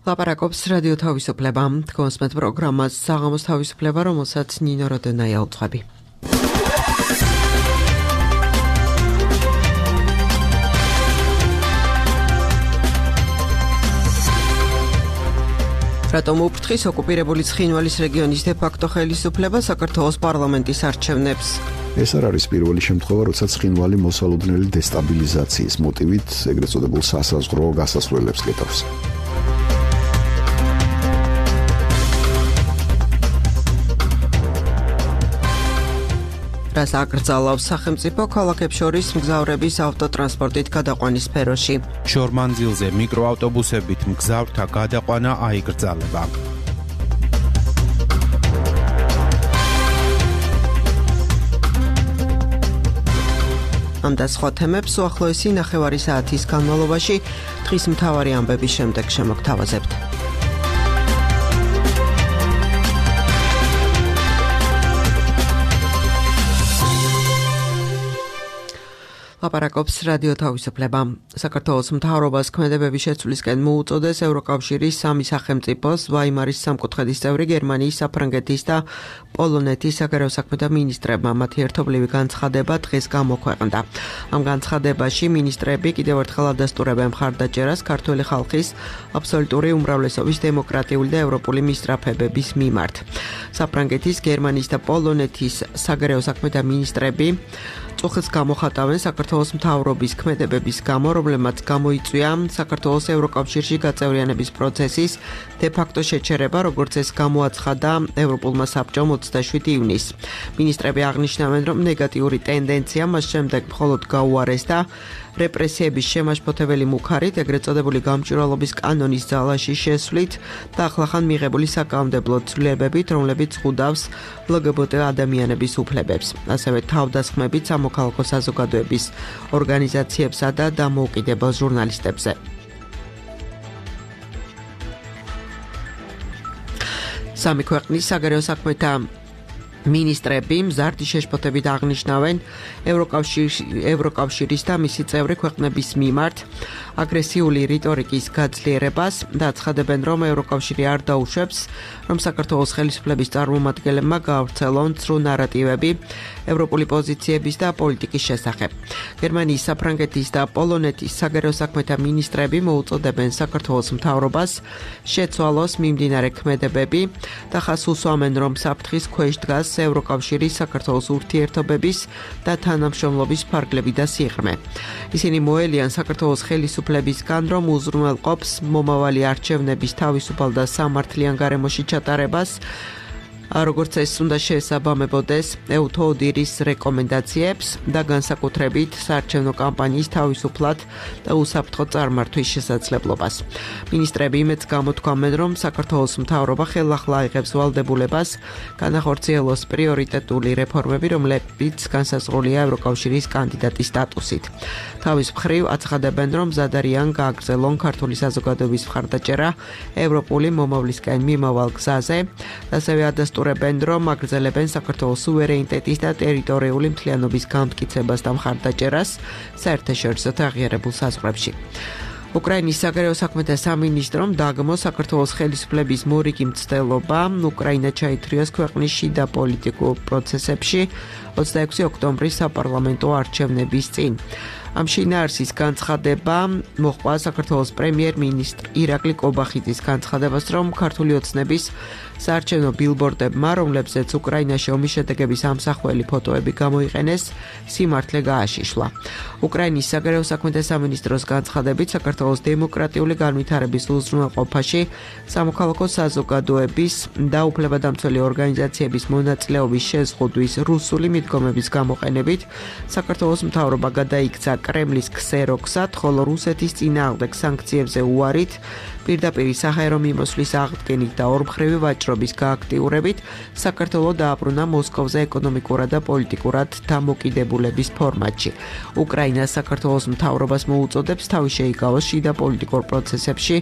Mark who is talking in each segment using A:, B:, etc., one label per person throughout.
A: ლაპარაკობს რადიო თავისუფლება. კონსმეთ პროგრამას საღამოს თავისუფლება, რომელსაც ნინო როდენაია უძღვები. რატომ უფრთხის ოკუპირებული ცხინვალის რეგიონის დე-ფაქტო ხელისუფლება საქართველოს პარლამენტის არჩევნებს?
B: ეს არ არის პირველი შემთხვევა, როცა ცხინვალი მოსალოდნელი დესტაბილიზაციის მოტივით ეგრეთ წოდებულ სასაზღვრო გასასვლელებს გეტავს.
A: რას აკრძალავს სახელმწიფო ქალაქებს შორის მგზავრების ავტოტრანსპორტით გადაყვანის სფეროში?
C: შორმანძილზე მიკროავტობუსებით მგზავრთა გადაყვანა აიკრძალება.
A: ამ და სხვა თემებს უახლოესი ნახევარი საათის განმავლობაში დღის მთავარი ამბების შემდეგ შემოგთავაზებთ. ლაპარაკობს რადიო თავისუფლება. საქართველოს მთავრობას ქმედებების შეცვლისკენ მოუწოდეს ევროკავშირის სამი სახელმწიფოს ვაიმარის სამკუთხედის წევრი გერმანიის, საფრანგეთის და პოლონეთის საგარეო საქმეთა მინისტრებმა მათი ერთობლივი განცხადება დღეს გამოქვეყნდა. ამ განცხადებაში მინისტრები კიდევ ერთხელ ადასტურებენ მხარდაჭერას ქართველი ხალხის აბსოლუტური უმრავლესობის დემოკრატიული და ევროპული მისწრაფებების მიმართ. საფრანგეთის, გერმანიის და პოლონეთის საგარეო საქმეთა მინისტრები წუხილს გამოხატავენ საქართველოს მთავრობის ქმედებების გამო, რომლებმაც გამოიწვია საქართველოს ევროკავშირში გაწევრიანების პროცესის დე-ფაქტო შეჩერება, როგორც ეს გამოაცხადა ევროპულმა საბჭომ 27 ივნისს. მინისტრები აღნიშნავენ, რომ ნეგატიური ტენდენცია მას შემდეგ მხოლოდ გაუარეს და რეპრესიების შემაშფოთებელი მუქარით, ეგრეთ წოდებული გამჭვირვალობის კანონის ძალაში შესვლით და ახლახან მიღებული საკანონმდებლო ცვლილებებით, რომლებიც ზღუდავს LGBT ადამიანების უფლებებს. ასევე თავდასხმებით სამოქალაქო საზოგადოების ორგანიზაციებსა და დამოუკიდებელ ჟურნალისტებზე. სამი ქვეყნის საგარეო საქმეთა მინისტრები მზარდი შეშფოთებით აღნიშნავენ ევროკავშირის და მისი წევრი ქვეყნების მიმართ აგრესიული რიტორიკის გაძლიერებას და აცხადებენ, რომ ევროკავშირი არ დაუშვებს, რომ საქართველოს ხელისუფლების წარმომადგენლებმა გაავრცელონ ცრუ ნარატივები ევროპული პოზიციების და პოლიტიკის შესახებ. გერმანიის, საფრანგეთის და პოლონეთის საგარეო საქმეთა მინისტრები მოუწოდებენ საქართველოს მთავრობას შეცვალოს მიმდინარე ქმედებები და ხაზს უსვამენ, რომ საფრთხის ქვეშ დგას ევროკავშირის საქართველოს ურთიერთობების და თანამშრომლობის ფარგლები და სიღრმე. ისინი მოელიან საქართველოს ხელისუფლებისგან, რომ უზრუნველყოფს მომავალი არჩევნების თავისუფალ და სამართლიან გარემოში ჩატარებას, როგორც ეს უნდა შეესაბამებოდეს ეუთოდირის რეკომენდაციებს და განსაკუთრებით საარჩევნო კამპანიის თავისუფლად და უსაფრთხო წარმართვის შესაძლებლობას. მინისტრები იმედს გამოთქვამენ, რომ საქართველოს მთავრობა ხელახლა აიღებს ვალდებულებას განახორციელოს პრიორიტეტული რეფორმები, რომლებიც განსაზღვრულია ევროკავშირის კანდიდატის სტატუსით. თავის მხრივ აცხადებენ, რომ მზად არიან გააგრძელონ ქართული საზოგადოების მხარდაჭერა ევროპული მომავლისკენ მიმავალ გზაზე, ასევე ადასტურებენ, რომ აგრძელებენ საქართველოს სუვერენიტეტის და ტერიტორიული მთლიანობის განმტკიცებას და მხარდაჭერას საერთაშორისო აღიარებულ საზღვრებში. უკრაინის საგარეო საქმეთა სამინისტრომ დაგმო საქართველოს ხელისუფლების მორიგი მცდელობა უკრაინა ჩაითრიოს ქვეყნის შიდა პოლიტიკურ პროცესებში 26 ოქტომბრის საპარლამენტო არჩევნების წინ. ამ შინაარსის განცხადება მოჰყვა საქართველოს პრემიერ-მინისტრ ირაკლი კობახიძის განცხადებას, რომ ქართული ოცნების საარჩევნო ბილბორდებმა, რომლებზეც უკრაინაში ომის შედეგების ამსახველი ფოტოები გამოიყენეს, სიმართლე გააშიშლა. უკრაინის საგარეო საქმეთა სამინისტროს განცხადებით, საქართველოს დემოკრატიული განვითარების უზრუნველყოფაში სამოქალაქო საზოგადოების და უფლებადამცველი ორგანიზაციების მონაწილეობის შეზღუდვის რუსული მიდგომების გამოყენებით, საქართველოს მთავრობა გადაიქცა კრემლის ქსეროქსად, ხოლო რუსეთის წინააღმდეგ სანქციებზე უარით, პირდაპირ საჰაერო მიმოსვლის აღდგენით და ორმხრივი ვაჭრობის გააქტიურებით საქართველო დააბრუნა მოსკოვზე ეკონომიკურად და პოლიტიკურად დამოკიდებულების ფორმატში. უკრაინა საქართველოს მთავრობას მოუწოდებს თავი შეიკავოს შიდა პოლიტიკურ პროცესებში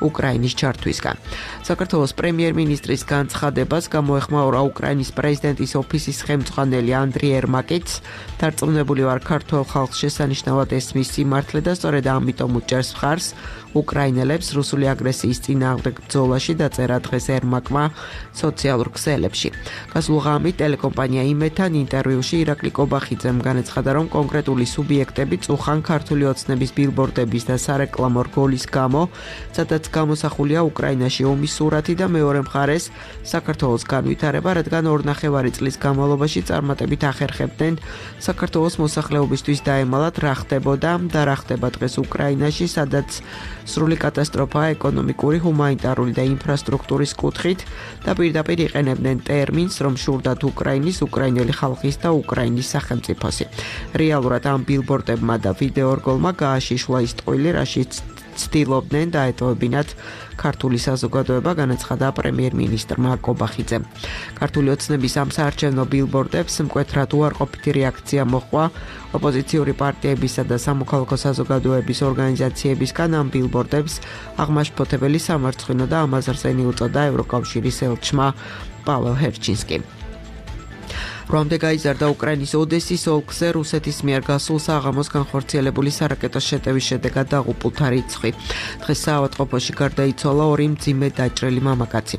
A: უკრაინის ჩართვისგან. საქართველოს პრემიერ-მინისტრის განცხადებას გამოეხმაურა უკრაინის პრეზიდენტის ოფისის ხელმძღვანელი ანდრი ერმაკიც. დარწმუნებული ვარ, ქართულ ხალხს შესანიშნავად ესმის სიმართლე და სწორედ ამიტომ უჭერს მხარს უკრაინელებს რუსული აგრესიის წინააღმდეგ ბრძოლაში დაწერა დღეს ერმაკმა სოციალურ ქსელებში. გასულ ღამით ტელეკომპანია იმედთან ინტერვიუში ირაკლი კობახიძემ განაცხადა, რომ კონკრეტული სუბიექტები წუხან ქართული ოცნების ბილბორდების და სარეკლამო რგოლის გამო, სადაც გამოსახულია უკრაინაში ომის სურათი და მეორე მხარეს საქართველოს განვითარება, რადგან 2.5 წლის განმავლობაში წარმატებით ახერხებდნენ საქართველოს მოსახლეობისთვის დაემალათ რა ხდებოდა და რა ხდება დღეს უკრაინაში, სადაც სრული კატასტროფაა ეკონომიკური, ჰუმანიტარული და ინფრასტრუქტურის კუთხით და პირდაპირ იყენებდნენ ტერმინს, რომ შურდათ უკრაინის, უკრაინელი ხალხის და უკრაინის სახელმწიფოსი. რეალურად ამ ბილბორდებმა და ვიდეორგოლმა გააშიშლა ის ტყუილი, რაშიც ცდილობდნენ დაეტოვებინათ ქართული საზოგადოება, განაცხადა პრემიერ-მინისტრმა კობახიძემ. ქართული ოცნების ამ საარჩევნო ბილბორდებს მკვეთრად უარყოფითი რეაქცია მოჰყვა ოპოზიციური პარტიებისა და სამოქალაქო საზოგადოების ორგანიზაციებისგან. ამ ბილბორდებს აღმაშფოთებელი სამარცხვინო და ამაზრზენი უწოდა ევროკავშირის ელჩმა პაველ ჰერჩინსკიმ. რომდე გაიზარდა უკრაინის ოდესის ოლქზე რუსეთის მიერ გასულ საღამოს განხორციელებული სარაკეტო შეტევის შედეგად დაღუპულთა რიცხვი. დღეს საავადმყოფოში გარდაიცვალა 2 მძიმე დაჭრილი მამაკაცი.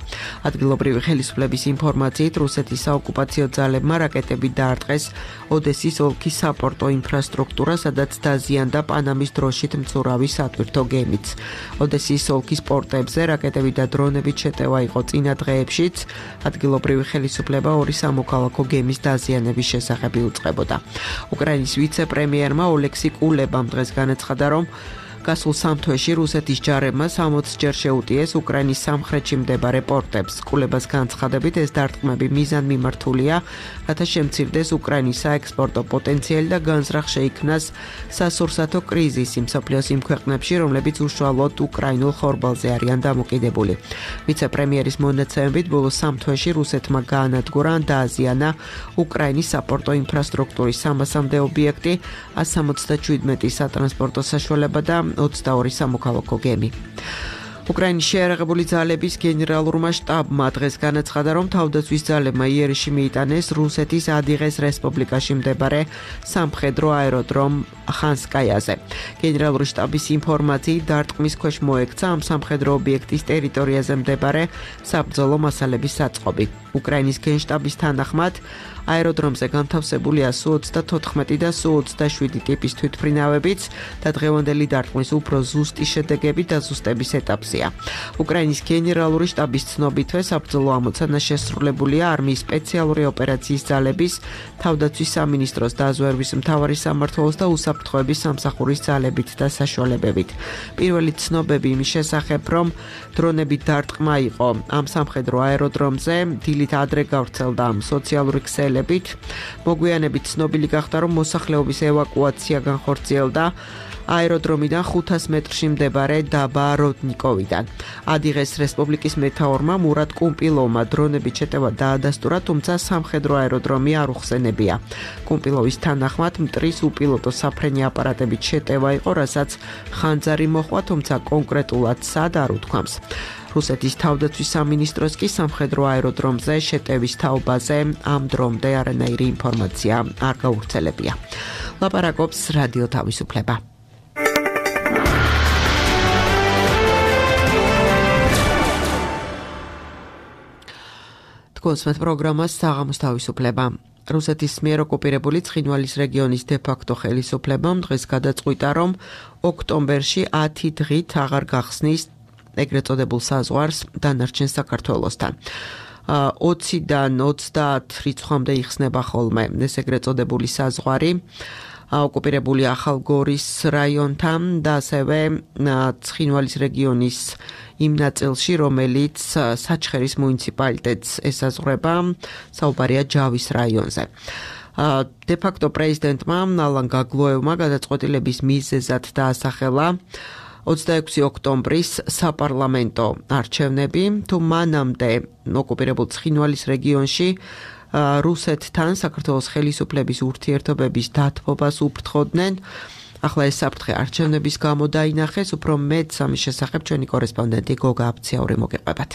A: ადგილობრივი ხელისუფლების ინფორმაციით რუსეთის საოკუპაციო ძალებმა რაკეტები დაარტყეს ოდესის ოლქის საპორტო ინფრასტრუქტურა, სადაც დაზიანდა პანამის დროშით მცურავი სატვირთო გემიც. ოდესის ოლქის პორტებზე რაკეტები და დრონებით შეტევა იყო წინა დღეებშიც. ადგილობრივი ხელისუფლება 2 სამოქალაქო გემის დაზიანების შესახებ იუწყებოდა. უკრაინის ვიცე-პრემიერმა ოლექსი კულებამ დღეს განაცხადა, რომ გასულ 3 თვეში რუსეთის ჯარებმა 60-ჯერ შეუტიეს უკრაინის სამხრეთში მდებარე პორტებს. კულებას განცხადებით, ეს დარტყმები მიზანმიმართულია, რათა შემცირდეს უკრაინის საექსპორტო პოტენციალი და განზრახ შეიქმნას სასურსათო კრიზისი მსოფლიოს იმ ქვეყნებში, რომლებიც უშუალოდ უკრაინულ ხორბალზე არიან დამოკიდებული. ვიცე-პრემიერის მონაცემებით, ბოლო 3 თვეში რუსეთმა გაანადგურა ან დააზიანა უკრაინის საპორტო ინფრასტრუქტურის 300-მდე ობიექტი, 177 სატრანსპორტო საშუალება და 22 სამოქალაქო გემი. უკრაინის შეიარაღებული ძალების გენერალურმა შტაბმა დღეს განაცხადა, რომ თავდაცვის ძალებმა იერიში მიიტანეს რუსეთის ადიღეს რესპუბლიკაში მდებარე სამხედრო აეროდრომ ხანსკაიაზე. გენერალური შტაბის ინფორმაციით დარტყმის ქვეშ მოექცა ამ სამხედრო ობიექტის ტერიტორიაზე მდებარე საბრძოლო მასალების საწყობი. უკრაინის გენშტაბის თანახმად აეროდრომზე განთავსებულია Su-34 და Su-27 ტიპის თვითმფრინავებიც და დღევანდელი დარტყმის უფრო ზუსტი შედეგები დაზუსტების ეტაპზეა. უკრაინის გენერალური შტაბის ცნობითვე საბრძოლო ამოცანა შესრულებულია არმიის სპეციალური ოპერაციის ძალების, თავდაცვის სამინისტროს დაზვერვის მთავარი სამმართველოს და უსაფრთხოების სამსახურის ძალებით და საშუალებებით. პირველი ცნობები იმის შესახებ, რომ დრონებით დარტყმა იყო ამ სამხედრო აეროდრომზე, დილით ადრე გავრცელდა ამ სოციალური ქსელებით. მოგვიანებით ცნობილი გახდა, რომ მოსახლეობის ევაკუაცია განხორციელდა აეროდრომიდან 500 მეტრში მდებარე დაბა როდნიკოვიდან. ადიღეს რესპუბლიკის მეთაურმა მურატ კუმპილოვმა დრონებით შეტევა დაადასტურა, თუმცა სამხედრო აეროდრომი არ უხსენებია. კუმპილოვის თანახმად მტრის უპილოტო საფრენი აპარატებით შეტევა იყო, რასაც ხანძარი მოჰყვა, თუმცა კონკრეტულად სად არ უთქვამს. რუსეთის თავდაცვის სამინისტროს კი სამხედრო აეროდრომზე შეტევის თაობაზე ამ დრომდე არანაირი ინფორმაცია არ გავრცელებია. ლაპარაკობს რადიო თავისუფლება. კონსმეთ პროგრამას საღამოს თავისუფლება. რუსეთის მიერ ოკუპირებული ცხინვალის რეგიონის დე-ფაქტო ხელისუფლებამ დღეს გადაწყვიტა, რომ ოქტომბერში 10 დღით აღარ გახსნის ეგრეთ წოდებულ საზღვარს დანარჩენ საქართველოსთან. 20-დან 30 რიცხვამდე იხსნება ხოლმე ეს ეგრეთ წოდებული საზღვარი ოკუპირებული ახალგორის რაიონთან და ასევე ცხინვალის რეგიონის იმ ნაწილში, რომელიც საჩხერის მუნიციპალიტეტს ესაზღვრება, საუბარია ჯავის რაიონზე. დე-ფაქტო პრეზიდენტმა ალან გაგლოევმა გადაწყვეტილების მიზეზად დაასახელა 26 ოქტომბრის საპარლამენტო არჩევნები, თუ მანამდე ოკუპირებულ ცხინვალის რეგიონში რუსეთთან საქართველოს ხელისუფლების ურთიერთობების დათბობას უფრთხოდნენ. ახლა ეს საფრთხე არჩევნების გამო დაინახეს, უფრო მეტ ამის შესახებ ჩვენი კორესპონდენტი გოგა აფციაური მოგეყვებათ.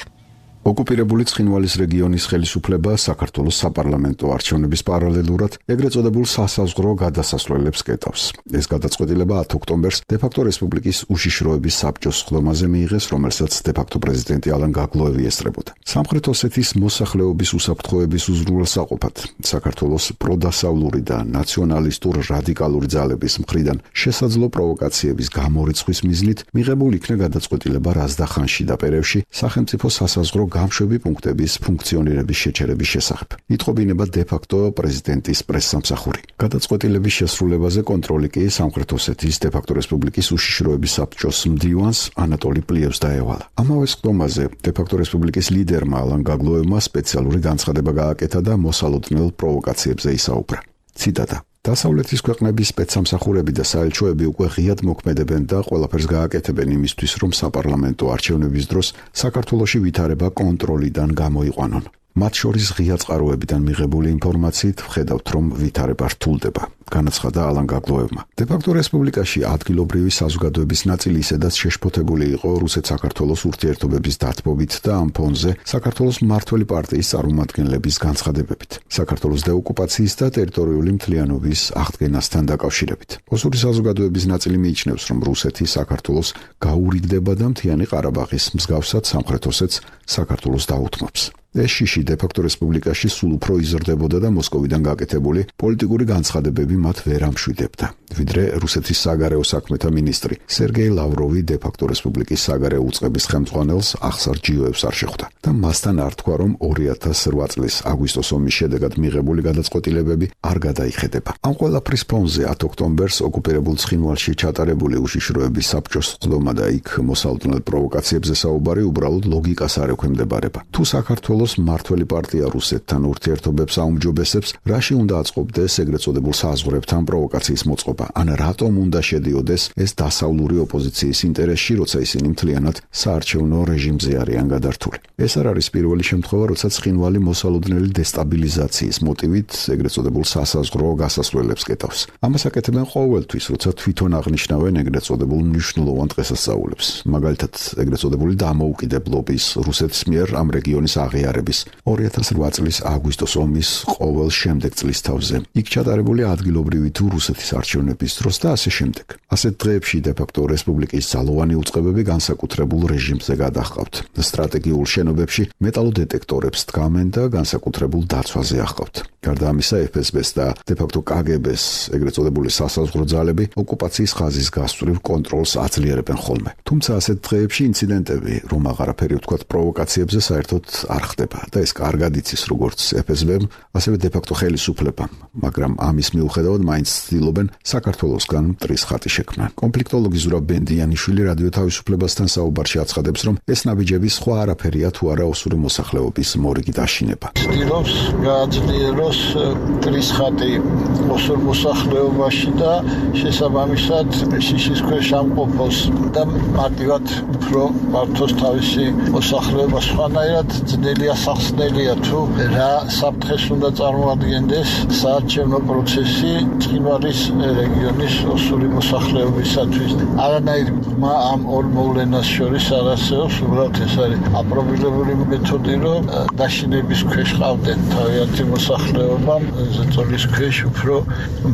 B: ოკუპირებული ცხინვალის რეგიონის ხელისუფლება საქართველოს საპარლამენტო არჩევნების პარალელურად ეგრეთ წოდებულ სასაზღვრო გადასასვლელებს კეტავს. ეს გადაწყვეტილება 10 ოქტომბერს დე-ფაქტო რესპუბლიკის უშიშროების საბჭოს სხდომაზე მიიღეს, რომელსაც დე-ფაქტო პრეზიდენტი ალან გაგლოევი ესწრებოდა. სამხრეთ ოსეთის მოსახლეობის უსაფრთხოების უზრუნველსაყოფად საქართველოს პროდასავლური და ნაციონალისტურ რადიკალური ძალების მხრიდან შესაძლო პროვოკაციების გამორიცხვის მიზნით მიღებულ იქნა გადაწყვეტილება რაზდახანში და პერევში სახელმწიფო სასაზღვრო გამშვები პუნქტების ფუნქციონირების შეჩერების შესახებ. იტყობინება დე-ფაქტო პრეზიდენტის პრესსამსახური. გადაწყვეტილების შესრულებაზე კონტროლი კი სამხრეთ ოსეთის დე-ფაქტო რესპუბლიკის უშიშროების საბჭოს მდივანს ანატოლი პლიევს დაევალა. ამავე სხდომაზე დე-ფაქტო რესპუბლიკის ლიდერმა ალან გაგლოევმა სპეციალური განცხადება გააკეთა და მოსალოდნელ პროვოკაციებზე ისაუბრა. ციტატა: დასავლეთის ქვეყნების სპეცსამსახურები და საელჩოები უკვე ღიად მოქმედებენ და ყველაფერს გააკეთებენ იმისთვის, რომ საპარლამენტო არჩევნების დროს საქართველოში ვითარება კონტროლიდან გამოიყვანონ. მათ შორის ღია წყაროებიდან მიღებული ინფორმაციით ვხედავთ, რომ ვითარება რთულდება, განაცხადა ალან გაგლოევმა. დე-ფაქტო რესპუბლიკაში ადგილობრივი საზოგადოების ნაწილი ისედაც შეშფოთებული იყო რუსეთ-საქართველოს ურთიერთობების დათბობით და ამ ფონზე საქართველოს მმართველი პარტიის წარმომადგენლების განცხადებებით, საქართველოს დეოკუპაციის და ტერიტორიული მთლიანობის აღდგენასთან დაკავშირებით. ოსური საზოგადოების ნაწილი მიიჩნევს, რომ რუსეთი საქართველოს გაურიგდება და მთიანი ყარაბაღის მსგავსად სამხრეთ ოსეთს საქართველოს დაუთმობს. ეს შიში დე-ფაქტო რესპუბლიკაში სულ უფრო იზრდებოდა და მოსკოვიდან გაკეთებული პოლიტიკური განცხადებები მათ ვერ ამშვიდებდა. ვიდრე რუსეთის საგარეო საქმეთა მინისტრი სერგეი ლავროვი დე-ფაქტო რესპუბლიკის საგარეო უწყების ხელმძღვანელს ახსარ ჯიოევს არ შეხვდა და მასთან არ თქვა, რომ 2008 წლის აგვისტოს ომის შედეგად მიღებული გადაწყვეტილებები არ გადაიხედება. ამ ყველაფრის ფონზე 10 ოქტომბერს ოკუპირებულ ცხინვალში ჩატარებული უშიშროების საბჭოს სხდომა და იქ მოსალოდნელ პროვოკაციებზე საუბარი უბრალოდ ლოგიკას არ ექვემდებარება. თუ საქართველოს მმართველი პარტია რუსეთთან ურთიერთობებს აუმჯობესებს, რაში უნდა აწყობდეს ეგრეთ წოდებულ საზღვრებთან პროვოკაციის მოწყობა? ან რატომ უნდა შედიოდეს ეს დასავლური ოპოზიციის ინტერესში, როცა ისინი მთლიანად საარჩევნო რეჟიმზე არიან გადართული? ეს არ არის პირველი შემთხვევა, როცა ცხინვალი მოსალოდნელი დესტაბილიზაციის მოტივით ეგრეთ წოდებულ სასაზღვრო გასასვლელებს კეტავს. ამას აკეთებენ ყოველთვის, როცა თვითონ აღნიშნავენ ეგრეთ წოდებულ მნიშვნელოვან დღესასწაულებს, მაგალითად ეგრეთ წოდებული დამოუკიდებლობის რუსეთის მიერ ამ რეგიონის აღიარების 2008 წლის აგვისტოს ომის ყოველ შემდეგ წლის თავზე. იქ ჩატარებული ადგილობრივი თუ რუსეთის არჩევნების დროს და ასე შემდეგ. ასეთ დღეებში დე-ფაქტო რესპუბლიკის ძალოვანი უწყებები განსაკუთრებულ რეჟიმზე გადაჰყავთ. სტრატეგიულ შენობებში მეტალოდეტექტორებს დგამენ და განსაკუთრებულ დაცვაზე ახავთ. გარდა ამისა, FSB-ს და დე-ფაქტო KGB-ს ეგრეთ წოდებული სასაზღვრო ძალები ოკუპაციის ხაზის გასწვრივ კონტროლს აძლიერებენ ხოლმე. თუმცა ასეთ დღეებში ინციდენტები, რომ აღარაფერი ვთქვათ პროვოკაციებზე, საერთოდ არ ხდება და ეს კარგად იცის როგორც FSB-მ, ასევე დე-ფაქტო ხელისუფლებამ, მაგრამ ამის მიუხედავად მაინც ცდილობენ საქართველოსგან მტრის ხატი შექმნან. კონფლიქტოლოგი ზურაბ ბენდიანიშვილი რადიო თავისუფლებასთან საუბარში აცხადებს, რომ ეს ნაბიჯები სხვა არაფერია თუ არა ოსური მოსახლეობის მორიგი დაშინება.
D: ცდილობს გააძლიეროს მტრის ხატი ოსურ მოსახლეობაში და შესაბამისად შიშის ქვეშ ამყოფოს და მარტივად უფრო მართოს თავისი მოსახლეობა. სხვანაირად ძნელია სახსნელია თუ რა საფრთხეს უნდა წარმოადგენდეს საარჩევნო პროცესი ცხინვალის რეგიონის ოსური მოსახლეობისათვის. არანაირი ბრძმა ამ ორ მოვლენას შორის არ არსებობს, უბრალოდ ეს არის აპრობირებული მეთოდი, რომ დაშინების ქვეშ ყავდნენ თავიანთი მოსახლეობამ, ზეწოლის ქვეშ უფრო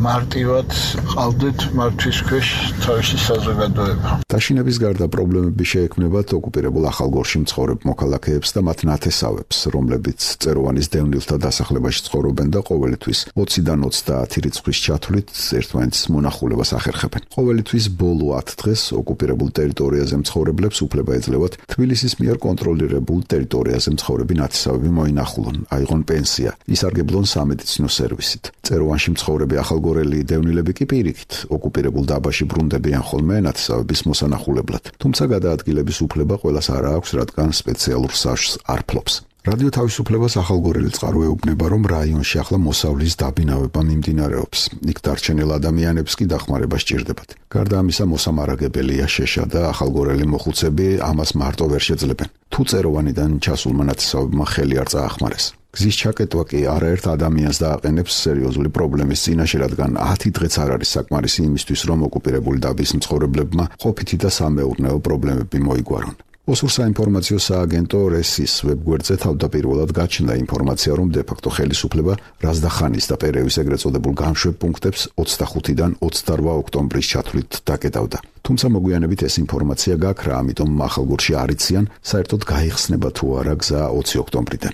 D: მარტივად ყავდეთ მართვის ქვეშ თავისი საზოგადოება.
B: დაშინების გარდა პრობლემები შეექმნებათ ოკუპირებულ ახალგორში მცხოვრებ მოქალაქეებს და მათ ნათესავებს, რომლებიც წეროვანის დევნილთა დასახლებაში ცხოვრობენ და ყოველთვის 20-დან 30 რიცხვის ჩათვლით ერთმანეთის მონახულებას ახერხებენ. ყოველთვის ბოლო 10 დღეს ოკუპირებულ ტერიტორიაზე მცხოვრებლებს უფლება ეძლევათ თბილისის მიერ კონტროლირებულ ტერიტორიაზე მცხოვრები ნათესავები მოინახულონ, აიღონ პენსია, ისარგებლონ სამედიცინო სერვისით. წეროვანში მცხოვრები ახალგორელი დევნილები კი პირიქით ოკუპირებულ დაბაში ბრუნდებიან ხოლმე ნათესავების მოსანახულებლად. თუმცა გადაადგილების უფლება ყველას არ აქვს, რადგან სპეციალურ საშს არ ფლობს. რადიო თავისუფლებას ახალგორელი წყარო ეუბნება, რომ რაიონში ახლა მოსავლის დაბინავება მიმდინარეობს. იქ დარჩენილ ადამიანებს კი დახმარება სჭირდებათ. გარდა ამისა, მოსამარაგებელია შეშა და ახალგორელი მოხუცები ამას მარტო ვერ შეძლებენ. თუ წეროვანიდან ჩასულმა ნათესავებმა ხელი არ წაახმარეს. გზის ჩაკეტვა კი არაერთ ადამიანს დააყენებს სერიოზული პრობლემის წინაშე, რადგან 10 დღეც არ არის საკმარისი იმისთვის, რომ ოკუპირებული დაბის მცხოვრებლებმა ყოფითი და სამეურნეო პრობლემები მოიგვარონ. ოსურ საინფორმაციო სააგენტო რესის ვებგვერდზე თავდაპირველად გაჩნდა ინფორმაცია, რომ დე-ფაქტო ხელისუფლება რაზდახანის და პერევის ეგრეთ წოდებულ განშვებ პუნქტებს 25-დან 28 ოქტომბრის ჩათვლით დაკეტავდა. თუმცა მოგვიანებით ეს ინფორმაცია გაქრა, ამიტომ ახალგორში არ იციან, საერთოდ გაიხსნება თუ არა გზა 20 ოქტომბრიდან.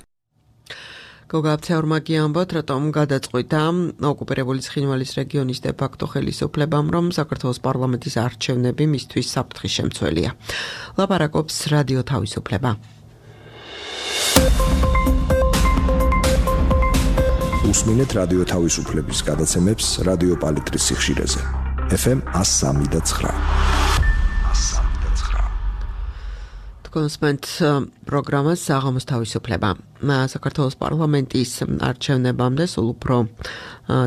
A: გოგაბცეორმა გიამბოთ, რატომ გადაწყვიტა ოკუპირებული ცხინვალის რეგიონის დე-ფაქტო ხელისუფლებამ, რომ საქართველოს პარლამენტის არჩევნები მისთვის საფრთხის შემცველია. ლაპარაკობს რადიო თავისუფლება.
E: უსმინეთ რადიო თავისუფლების გადაცემებს რადიო პალიტრის სიხშირეზე. FM 103.9.
A: კონსპენტ პროგრამას საღამოს თავისუფლება. საქართველოს პარლამენტის არჩევნებამდე სულ უფრო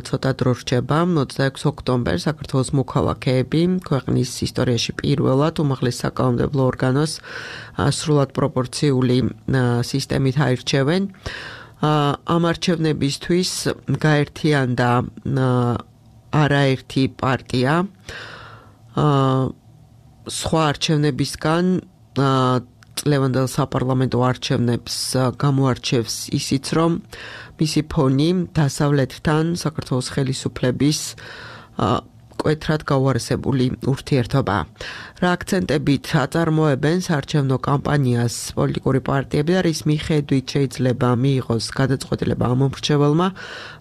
A: ცოტა დრო რჩება. 26 ოქტომბერს საქართველოს მოქალაქეები ქვეყნის ისტორიაში პირველად უმაღლეს საკანონმდებლო ორგანოს სრულად პროპორციული სისტემით აირჩევენ. ამ არჩევნებისთვის გაერთიანდა არაერთი პარტია. სხვა არჩევნებისგან წლევანდელ საპარლამენტო არჩევნებს გამოარჩევს ისიც, რომ მისი ფონი დასავლეთთან საქართველოს ხელისუფლების მკვეთრად გაუარესებული ურთიერთობაა. რა აქცენტებით აწარმოებენ საარჩევნო კამპანიას პოლიტიკური პარტიები და რის მიხედვით შეიძლება მიიღოს გადაწყვეტილება ამ მომრჩეველმა,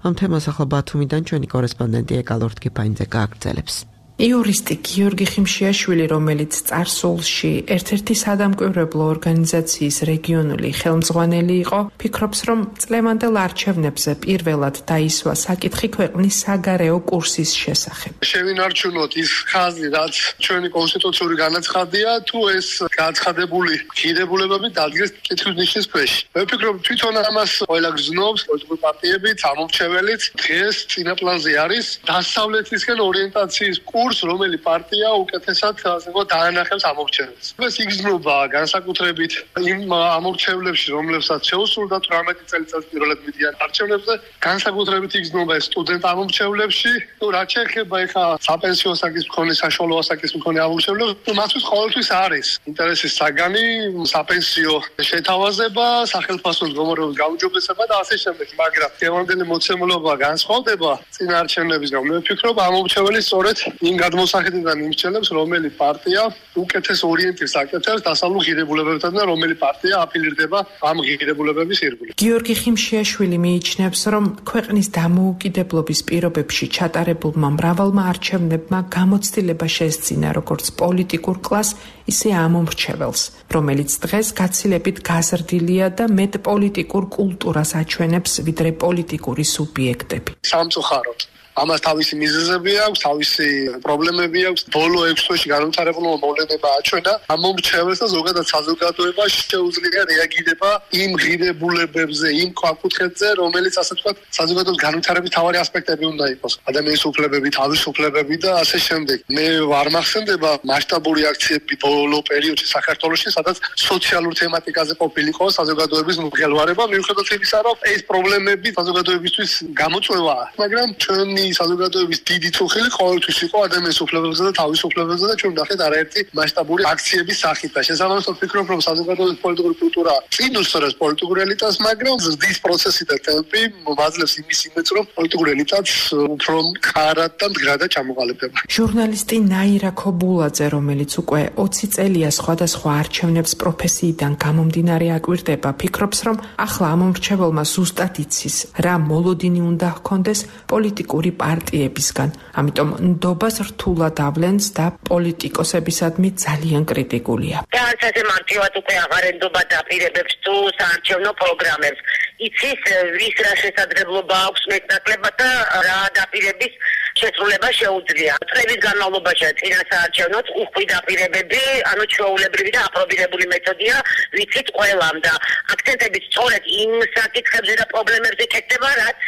A: ამ თემას ახლა ბათუმიდან ჩვენი კორესპონდენტი ეკალორთ კიფაინძე გააგრძელებს.
F: იურისტი გიორგი ხიმშიაშვილი, რომელიც წარსულში ერთ-ერთი სადამკვირვებლო ორგანიზაციის რეგიონული ხელმძღვანელი იყო, ფიქრობს, რომ წლევანდელ არჩევნებზე პირველად დაისვა საკითხი ქვეყნის საგარეო კურსის შესახებ.
G: შევინარჩუნოთ ის ხაზი, რაც ჩვენი კონსტიტუციური განაცხადია, თუ ეს გაცხადებული ღირებულებები დადგეს კითხვის ნიშნის ქვეშ. მე ვფიქრობ, თვითონ ამას ყველა გრძნობს, პოლიტიკური პარტიებიც, ამორჩეველიც, დღეს წინაპლანზე არის დასავლეთისკენ ორიენტაციის რომელი პარტია უკეთესად დაანახებს ამორჩეველს. ეს იგრძნობა განსაკუთრებით იმ ამორჩევლებში, რომლებსაც შეუსრულდა 18 წელიწადს პირველად მიდიან არჩევნებზე, განსაკუთრებით იგრძნობა ეს სტუდენტ ამორჩევლებში, რაც შეეხება ეხა საპენსიო საკითხის მქონე, საშუალო ასაკის მქონე ამორჩევლებს, მათთვის ყოველთვის არის ინტერესის საგანი, საპენსიო შეთავაზება, სახელმწიფოს მდგომარეობის გაუმჯობესება და ასე შემდეგ, მაგრამ დღევანდელი მოცემულობა განსხვავდება წინა არჩევნებისგან. მე ვფიქრობ, ამორჩეველი სწორედ იმ გადმოსახედიდან იმსჯელებს, რომელი პარტია უკეთეს ორიენტირს აკეთებს დასავლურ ღირებულებებთან და რომელი პარტია აფილირდება ამ ღირებულებების ირგვლივ.
F: გიორგი ხიმშიაშვილი მიიჩნევს, რომ ქვეყნის დამოუკიდებლობის პირობებში ჩატარებულმა მრავალმა არჩევნებმა გამოცდილება შესძინა როგორც პოლიტიკურ კლასს, ისე ამომრჩეველს, რომელიც დღეს გაცილებით გაზრდილია და მეტ პოლიტიკურ კულტურას აჩვენებს, ვიდრე პოლიტიკური სუბიექტები.
G: სამწუხაროდ ამას თავისი მიზეზები აქვს, თავისი პრობლემები აქვს. ბოლო 6 თვეში განვითარებულმა მოვლენებმა აჩვენა ამომრჩეველს და ზოგადად საზოგადოებას შეუძლია რეაგირება იმ ღირებულებებზე, იმ ქვაკუთხედზე, რომელიც ასე ვთქვათ, საზოგადოების განვითარების მთავარი ასპექტები უნდა იყოს. ადამიანის უფლებები, თავისუფლებები და ასე შემდეგ. მე არ მახსენდება მასშტაბური აქციები ბოლო პერიოდში საქართველოში, სადაც სოციალურ თემატიკაზე ყოფილიყო საზოგადოების მღელვარება, მიუხედავად იმისა, რომ ეს პრობლემები საზოგადოებისთვის გამოწვევაა, მაგრამ ჩვენი საზოგადოების დიდი წუხილი ყოველთვის იყო ადამიანის უფლებებზე და თავისუფლებებზე და ჩვენ ნახეთ არაერთი მასშტაბური აქციების სახით და შესაბამისად ვფიქრობ, რომ საზოგადოების პოლიტიკური კულტურა წინ უსწრებს პოლიტიკურ ელიტას, მაგრამ ზრდის პროცესი და ტემპი მაძლევს იმის იმედს, რომ პოლიტიკურ ელიტაც უფრო მყარად და მდგრადად ჩამოყალიბდება.
F: ჟურნალისტი ნაირა ქობულაძე, რომელიც უკვე 20 წელია სხვადასხვა არჩევნებს პროფესიიდან გამომდინარე აკვირდება, ფიქრობს, რომ ახლა ამომრჩეველმა ზუსტად იცის, რა მოლოდინი უნდა ჰქონდეს პოლიტიკური პარტიებისგან, ამიტომ ნდობას რთულად ავლენს და პოლიტიკოსებისადმი ძალიან კრიტიკულია.
H: ასე მარტივად უკვე აღარ ენდობა დაპირებებს თუ საარჩევნო პროგრამებს. იცის ვის რა შესაძლებლობა აქვს მეტნაკლებად და რა დაპირების შესრულება შეუძლია. წლების განმავლობაში წინა საარჩევნოთ უხვი დაპირებები, ანუ ჩვეულებრივი და აპრობირებული მეთოდია, ვიცით ყველამ და აქცენტებით სწორედ იმ საკითხებზე და პრობლემებზე ქეთდება, რაც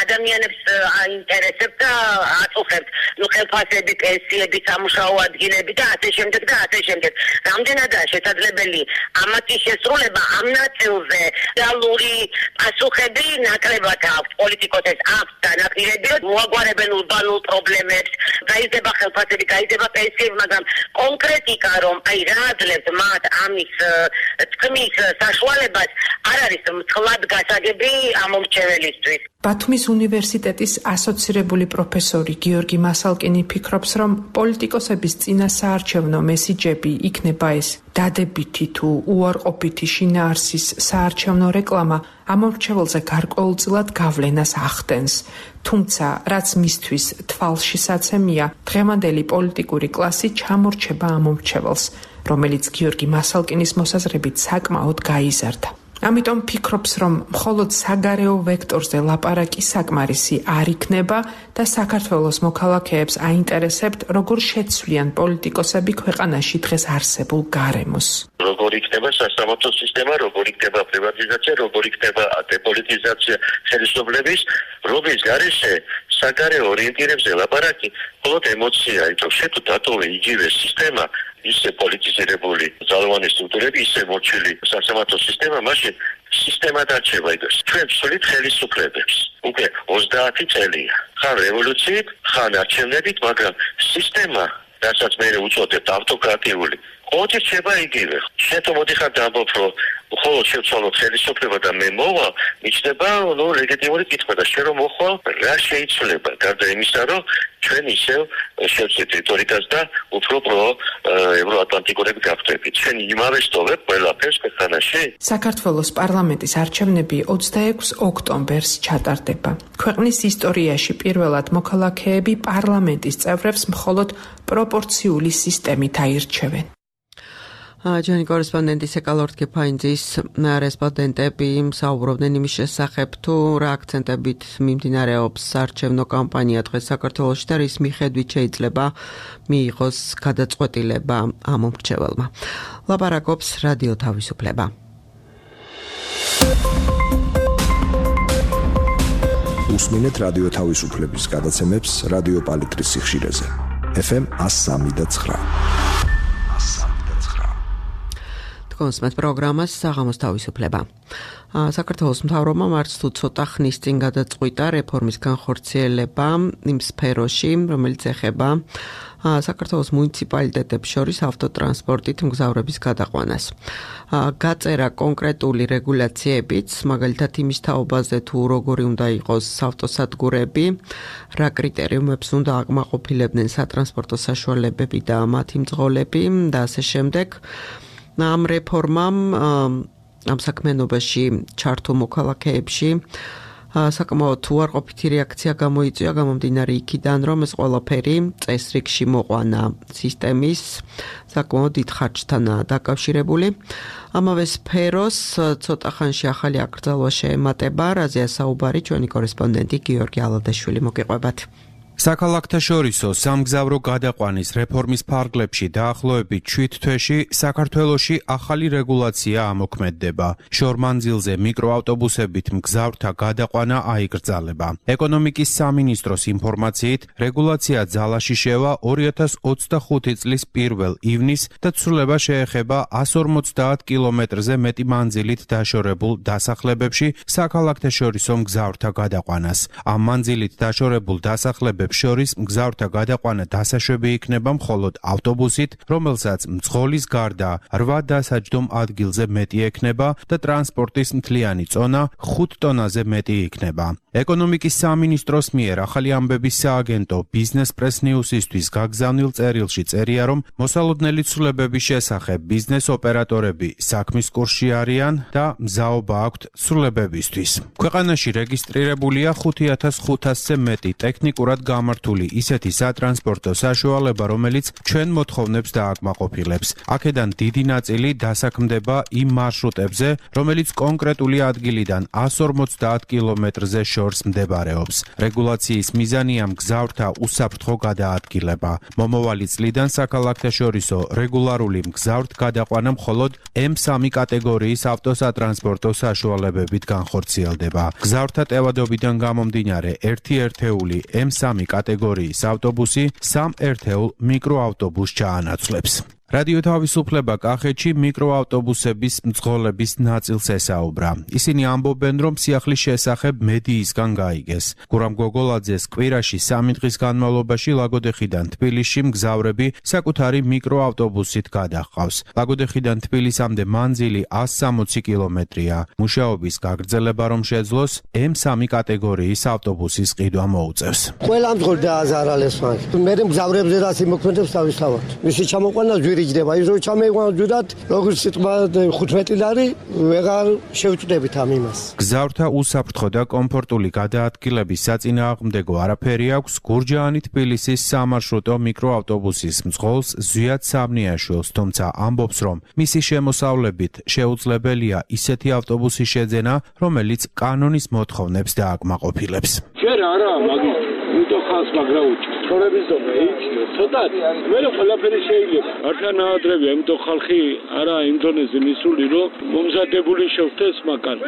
H: ადამიანებს აინტერესებს და აწუხებს. ხელფასები, პენსიები, სამუშაო ადგილები და ასე შემდეგ და ასე შემდეგ. რამდენადაა შესაძლებელი ამათი შესრულება ამ ნაწილზე რეალური პასუხები ნაკლებად აქვს პოლიტიკოსებს აქვს განაპირები, მოაგვარებენ ურბანულ სოციალურ პრობლემებს, გაიზრდება ხელფასები, გაიზრდება პენსიები, მაგრამ კონკრეტიკა რომ აი რა აძლევთ მათ ამის თქმის საშუალებას არ არის მწლად გასაგები ამომრჩეველისთვის.
F: ბათუმის უნივერსიტეტის ასოცირებული პროფესორი გიორგი მასალკინი ფიქრობს, რომ პოლიტიკოსების წინა საარჩევნო მესიჯები იქნება ეს დადებითი თუ უარყოფითი შინაარსის საარჩევნო რეკლამა ამომრჩეველზე გარკვეულწილად გავლენას ახდენს. თუმცა, რაც მისთვის თვალშისაცემია, დღევანდელი პოლიტიკური კლასი ჩამორჩება ამომრჩეველს, რომელიც გიორგი მასალკინის მოსაზრებით საკმაოდ გაიზარდა. ამიტომ ფიქრობს, რომ მხოლოდ საგარეო ვექტორზე ლაპარაკი საკმარისი არ იქნება და საქართველოს მოქალაქეებს აინტერესებთ, როგორ შეცვლიან პოლიტიკოსები ქვეყანაში დღეს არსებულ გარემოს.
I: როგორ იქნება სასამართლო სისტემა, როგორ იქნება პრივატიზაცია, როგორ იქნება დეპოლიტიზაცია ხელისუფლების, რომლის გარეშე საგარეო ორიენტირებზე ლაპარაკი მხოლოდ ემოცია, იმიტომ შეთუ დატოვე იგივე სისტემა, ისე პოლიტიზირებული ძალოვანი სტრუქტურები, ისე მოჩილი სასამართლო სისტემა, მაშინ სისტემა დარჩება იგივე. ჩვენ ვსვლით ხელისუფლებებს. უკვე 30 წელია. ხან რევოლუციით, ხან არჩევნებით, მაგრამ სისტემა, რასაც მე უწოდებთ ავტოკრატიული, ოთი რჩება იგივე. შეთო მოდიხარ დამბობ, რომ ხოლო შევცვალოთ ხელისუფლება და მე მოვა, მიჩნდება ლეგიტიმური კითხვა და შენ რომ მოხვალ, რა შეიცვლება, გარდა იმისა, რომ ჩვენ ისევ შევცეთ რიტორიკას და უფრო ევროატლანტიკურები გავხდებით. ჩვენ იმავე სტოვებ ყველაფერს ქვეყანაში.
F: საქართველოს პარლამენტის არჩევნები 26 ოქტომბერს ჩატარდება. ქვეყნის ისტორიაში პირველად მოქალაქეები პარლამენტის წევრებს მხოლოდ პროპორციული სისტემით აირჩევენ.
A: ჩვენი კორესპონდენტი სეკალორდ კეფაინძის რესპონდენტები საუბრობდნენ იმის შესახებ, თუ რა აქცენტებით მიმდინარეობს საარჩევნო კამპანია დღეს საქართველოში და რის მიხედვით შეიძლება მიიღოს გადაწყვეტილება ამომრჩეველმა. ლაპარაკობს რადიო თავისუფლება.
E: უსმინეთ რადიო თავისუფლების გადაცემებს რადიო პალიტრის სიხშირეზე. FM 103.9.
A: კონსმეთ პროგრამას საღამოს თავისუფლება. საქართველოს მთავრობამ არც თუ ცოტა ხნის წინ გადაწყვიტა რეფორმის განხორციელება იმ სფეროში, რომელიც ეხება საქართველოს მუნიციპალიტეტებს შორის ავტოტრანსპორტით მგზავრების გადაყვანას. გაწერა კონკრეტული რეგულაციებიც, მაგალითად იმის თაობაზე თუ როგორი უნდა იყოს ავტოსადგურები, რა კრიტერიუმებს უნდა აკმაყოფილებდნენ სატრანსპორტო საშუალებები და მათი მძღოლები და ასე შემდეგ. ამ რეფორმამ ამ საქმიანობაში ჩართულ მოქალაქეებში საკმაოდ უარყოფითი რეაქცია გამოიწვია გამომდინარე იქიდან, რომ ეს ყველაფერი წესრიგში მოყვანა სისტემის საკმაოდ დიდ ხარჯთანაა დაკავშირებული. ამავე სფეროს ცოტა ხანში ახალი აკრძალვა შეემატება, რაზეა საუბარი ჩვენი კორესპონდენტი გიორგი ალადაშვილი, მოგიყვებათ.
C: საქალაქთაშორისო სამგზავრო გადაყვანის რეფორმის ფარგლებში დაახლოებით 7 თვეში საქართველოში ახალი რეგულაცია ამოქმედდება. შორმანძილზე მიკროავტობუსებით მგზავრთა გადაყვანა აიკრძალება. ეკონომიკის სამინისტროს ინფორმაციით, რეგულაცია ძალაში შევა 2025 წლის 1 ივნისს და ცვლილება შეეხება 150 კილომეტრზე მეტი მანძილით დაშორებულ დასახლებებში საქალაქთაშორისო მგზავრთა გადაყვანას. ამ მანძილით დაშორებულ დასახლებებში შორის მგზავრთა გადაყვანა დასაშვები იქნება მხოლოდ ავტობუსით, რომელსაც მძღოლის გარდა 8 დასაჯდომ ადგილზე მეტი ექნება და ტრანსპორტის მთლიანი წონა 5 ტონაზე მეტი იქნება. ეკონომიკის სამინისტროს მიერ ახალი ამბების სააგენტო ბიზნეს პრეს ნიუსისთვის გაგზავნილ წერილში წერია, რომ მოსალოდნელი ცვლილებების შესახებ ბიზნეს ოპერატორები საქმის კურსში არიან და მზაობა აქვთ ცვლილებებისთვის. ქვეყანაში რეგისტრირებულია 5500-ზე მეტი ტექნიკურად გამართული ისეთი სატრანსპორტო საშუალება, რომელიც ჩვენ მოთხოვნებს დააკმაყოფილებს. აქედან დიდი ნაწილი დასაქმდება იმ მარშრუტებზე, რომელიც კონკრეტული ადგილიდან 150 კილომეტრზე შორს მდებარეობს. რეგულაციის მიზანია მგზავრთა უსაფრთხო გადაადგილება. მომავალი წლიდან საქალაქთაშორისო რეგულარული მგზავრთ გადაყვანა მხოლოდ M3 კატეგორიის ავტოსატრანსპორტო საშუალებებით განხორციელდება. მგზავრთა ტევადობიდან გამომდინარე, ერთი ერთეული M3 კატეგორიის ავტობუსი 3 ერთეულ მიკროავტობუსს ჩაანაცვლებს. რადიო თავისუფლება კახეთში მიკროავტობუსების მძღოლების ნაწილს ესაუბრა. ისინი ამბობენ, რომ სიახლის შესახებ მედიისგან გაიგეს. გურამ გოგოლაძეს კვირაში 3 დღის განმავლობაში ლაგოდეხიდან თბილისში მგზავრები საკუთარი მიკროავტობუსით გადაჰყავს. ლაგოდეხიდან თბილისამდე მანძილი 160 კილომეტრია. მუშაობის გაგრძელება რომ შეძლოს, M3 კატეგორიის ავტობუსის ყიდვა მოუწევს.
J: ყველა მძღოლი დააზარალეს მაგ. მე მგზავრებზე რაც იმოქმედებს თავისთავად. მისი ჩამოყვანა იჯდება ის რომ ჩამეგვანჯუდათ როგორც სიტყვა 15 ლარი ვეღარ შევწდებით ამ იმას.
C: გზავრთა უსაფრთხო და კომფორტული გადაადგილების საწინააღმდეგო არაფერი აქვს გურჯაანი თბილისის სამარშრუტო მიკროავტობუსის მძღოლს ზვიად სამნიაშვილს, თუმცა ამბობს, რომ მისი შემოსავლებით შეუძლებელია ისეთი ავტობუსის შეძენა, რომელიც კანონის მოთხოვნებს დააკმაყოფილებს.
K: ჯერ არა, მაგის უტო ხალხს მაგრაუჭი. ცხოვრების დონე ეიჩიო, ცოტა. მე ყველაფერი შეიძლება. ართან აადრებია, იმიტომ ხალხი არა იმ დონეზე მისული, რომ მომზადებული შევხვდეს მაგან.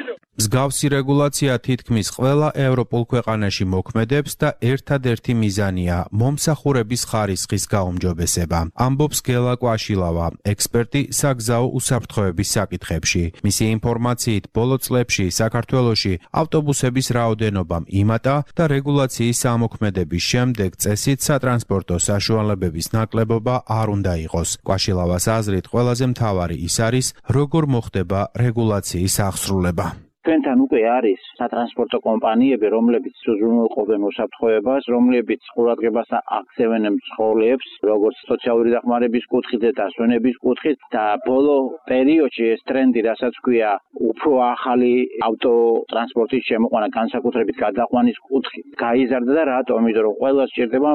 C: მსგავსი რეგულაცია თითქმის ყველა ევროპულ ქვეყანაში მოქმედებს და ერთადერთი მიზანია მომსახურების ხარისხის გაუმჯობესება. ამბობს გელა კვაშილავა, ექსპერტი საგზაო უსაფრთხოების საკითხებში. მისი ინფორმაციით, ბოლო წლებში საქართველოში ავტობუსების რაოდენობამ იმატა და რეგულაციის ამოქმედების შემდეგ წესით სატრანსპორტო საშუალებების ნაკლებობა არ უნდა იყოს. კვაშილავას აზრით, ყველაზე მთავარი ის არის, როგორ მოხდება რეგულაციის აღსრულება.
L: ჩვენთან უკვე არის სატრანსპორტო კომპანიები, რომლებიც უზრუნველყოფენ უსაფრთხოებას, რომლებიც ყურადღებას აქცევენ მძღოლებს, როგორც სოციალური დახმარების კუთხით და დასვენების კუთხით და ბოლო პერიოდში ეს ტრენდი, რასაც ქვია, უფრო ახალი ავტოტრანსპორტის შემოყვანა, განსაკუთრებით გადაყვანის კუთხით, გაიზარდა და რატომ? იმიტომ რომ ყველას სჭირდება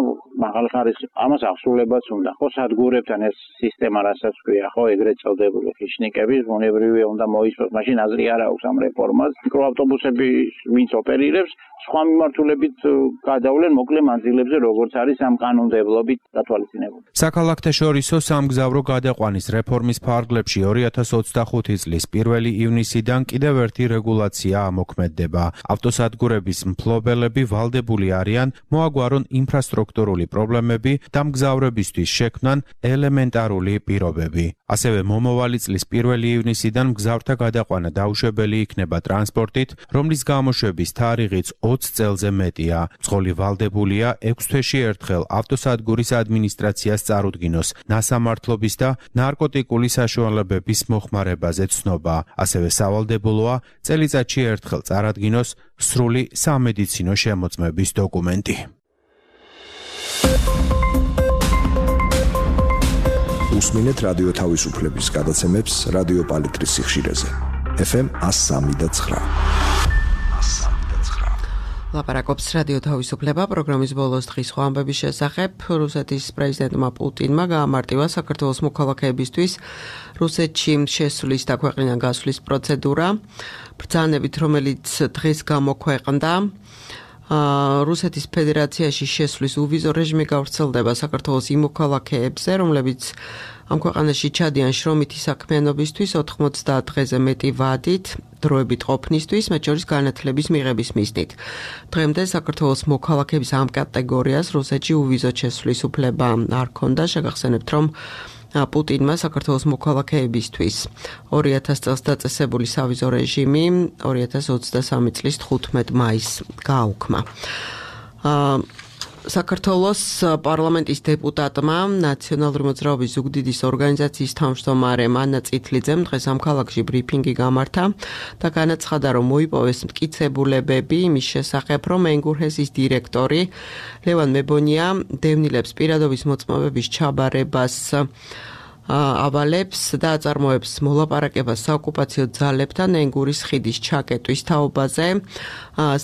L: მაღალი ხარისხი. ამას აღსრულებაც უნდა. ხო, სადგურებთან ეს სისტემა, რასაც ქვია, ხო, ეგრეთ წოდებული ხიშნიკების, ბუნებრივია უნდა მოისწროს, მაშინ აზრი არ აქვს ამ რეფორმას. მიკროავტობუსები ვინც ოპერირებს, სხვა მიმართულებით გადავლენ მოკლე მანძილებზე, როგორც არის ამ კანონმდებლობით დათვალისწინებული.
C: საქალაქთაშორისო სამგზავრო გადაყვანის რეფორმის ფარგლებში 2025 წლის 1 ივნისიდან კიდევ ერთი რეგულაცია ამოქმედდება. ავტოსადგურების მფლობელები ვალდებული არიან მოაგვარონ ინფრასტრუქტურული პრობლემები და მგზავრებისთვის შექმნან ელემენტარული პირობები. ასევე მომავალი წლის 1 ივნისიდან მგზავრთა გადაყვანა დაუშვებელი იქნება ტრანსპორტით, რომლის გამოშვების თარიღიც 20 წელზე მეტია. მძღოლი ვალდებულია 6 თვეში ერთხელ ავტოსადგურის ადმინისტრაციას წარუდგინოს ნასამართლობის და ნარკოტიკული საშუალებების მოხმარებაზე ცნობა. ასევე სავალდებულოა წელიწადში ერთხელ წარადგინოს სრული სამედიცინო შემოწმების დოკუმენტი.
E: უსმინეთ რადიო თავისუფლების გადაცემებს რადიო პალიტრის სიხშირეზე. FM 103.9.
A: ლაპარაკობს რადიო თავისუფლება პროგრამის ბოლოს დღის ხვამბების შესახებ. რუსეთის პრეზიდენტმა პუტინმა გაამარტივა საქართველოს მოქალაქეებისთვის რუსეთში შესulis და ქვეყნიდან გასვლის პროცედურა. ბრძანებით, რომელიც დღეს გამოქვეყნდა, რუსეთის ფედერაციაში შესulis უვიზო რეჟიმი გავრცელდება საქართველოს იმ მოქალაქეებზე, რომლებიც ამ ქვეყანაში ჩადიან შრომითი საქმიანობისთვის 90 დღეზე მეტი ვადით, დროებით ყოფნისთვის, მათ შორის განათლების მიღების მიზნით. დღემდე საქართველოს მოქალაქეების ამ კატეგორიას რუსეთში უვიზო შესulis უფლება არ ჰქონდა. შეგახსენებთ, რომ პუტინმა საქართველოს მოქალაქეებისთვის 2000 წელს დაწესებული სავიზო რეჟიმი 2023 წლის 15 მაისს გააუქმა. საქართველოს პარლამენტის დეპუტატმა ნაციონალური მოძრაობის ზუგდიდის ორგანიზაციის თავმჯდომარე მანა წითლიძემ დღეს ამ ქალაქში ბრიფინგი გამართა და განაცხადა, რომ მოიპოვეს მტკიცებულებები იმის შესახებ, რომ ენგურჰესის დირექტორი ლევან მებონია დევნილებს პირადობის მოწმობების ჩაბარებას ავალებს და აწარმოებს მოლაპარაკებას საოკუპაციო ძალებთან ენგურის ხიდის ჩაკეტვის თაობაზე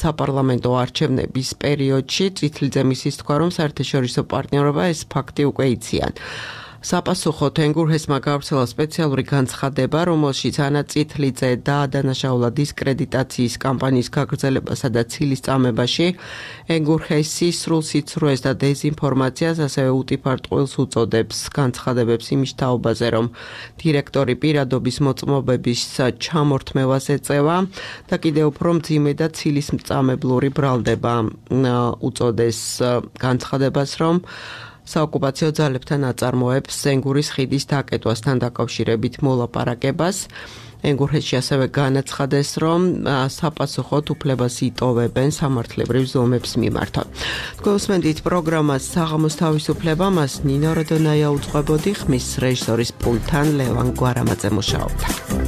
A: საპარლამენტო არჩევნების პერიოდში. წითლიძემ ისიც თქვა, რომ საერთაშორისო პარტნიორობა ეს ფაქტი უკვე იციან. საპასუხოდ ენგურჰესმა გავრცელა სპეციალური განცხადება, რომელშიც ანა წითლიძე დაადანაშაულა დისკრედიტაციის კამპანიის გაგრძელებასა და ცილის წამებაში ენგურჰესი სრულ სიცრუეს და დეზინფორმაციას, ასევე უტიფარ ტყუილს უწოდებს განცხადებებს იმის თაობაზე, რომ დირექტორი პირადობის მოწმობების ჩამორთმევას ეწევა და კიდევ უფრო მძიმე და ცილის მწამებლური ბრალდება უწოდეს განცხადებას, რომ საოკუპაციო ძალებთან აწარმოებს ენგურის ხიდის დაკეტვასთან დაკავშირებით მოლაპარაკებას. ენგურეთში ასევე განაცხადეს, რომ საპასუხოდ უფლებას იტოვებენ სამართლებრივ ზომებს მიმართა. თქვენსმენდით პროგრამას საღამოს თავისუფლება, მას ნინო როდონაია უძღვებოდი, ხმის რეჟისორის პულტთან ლევან გვარამაძე მუშაობდა.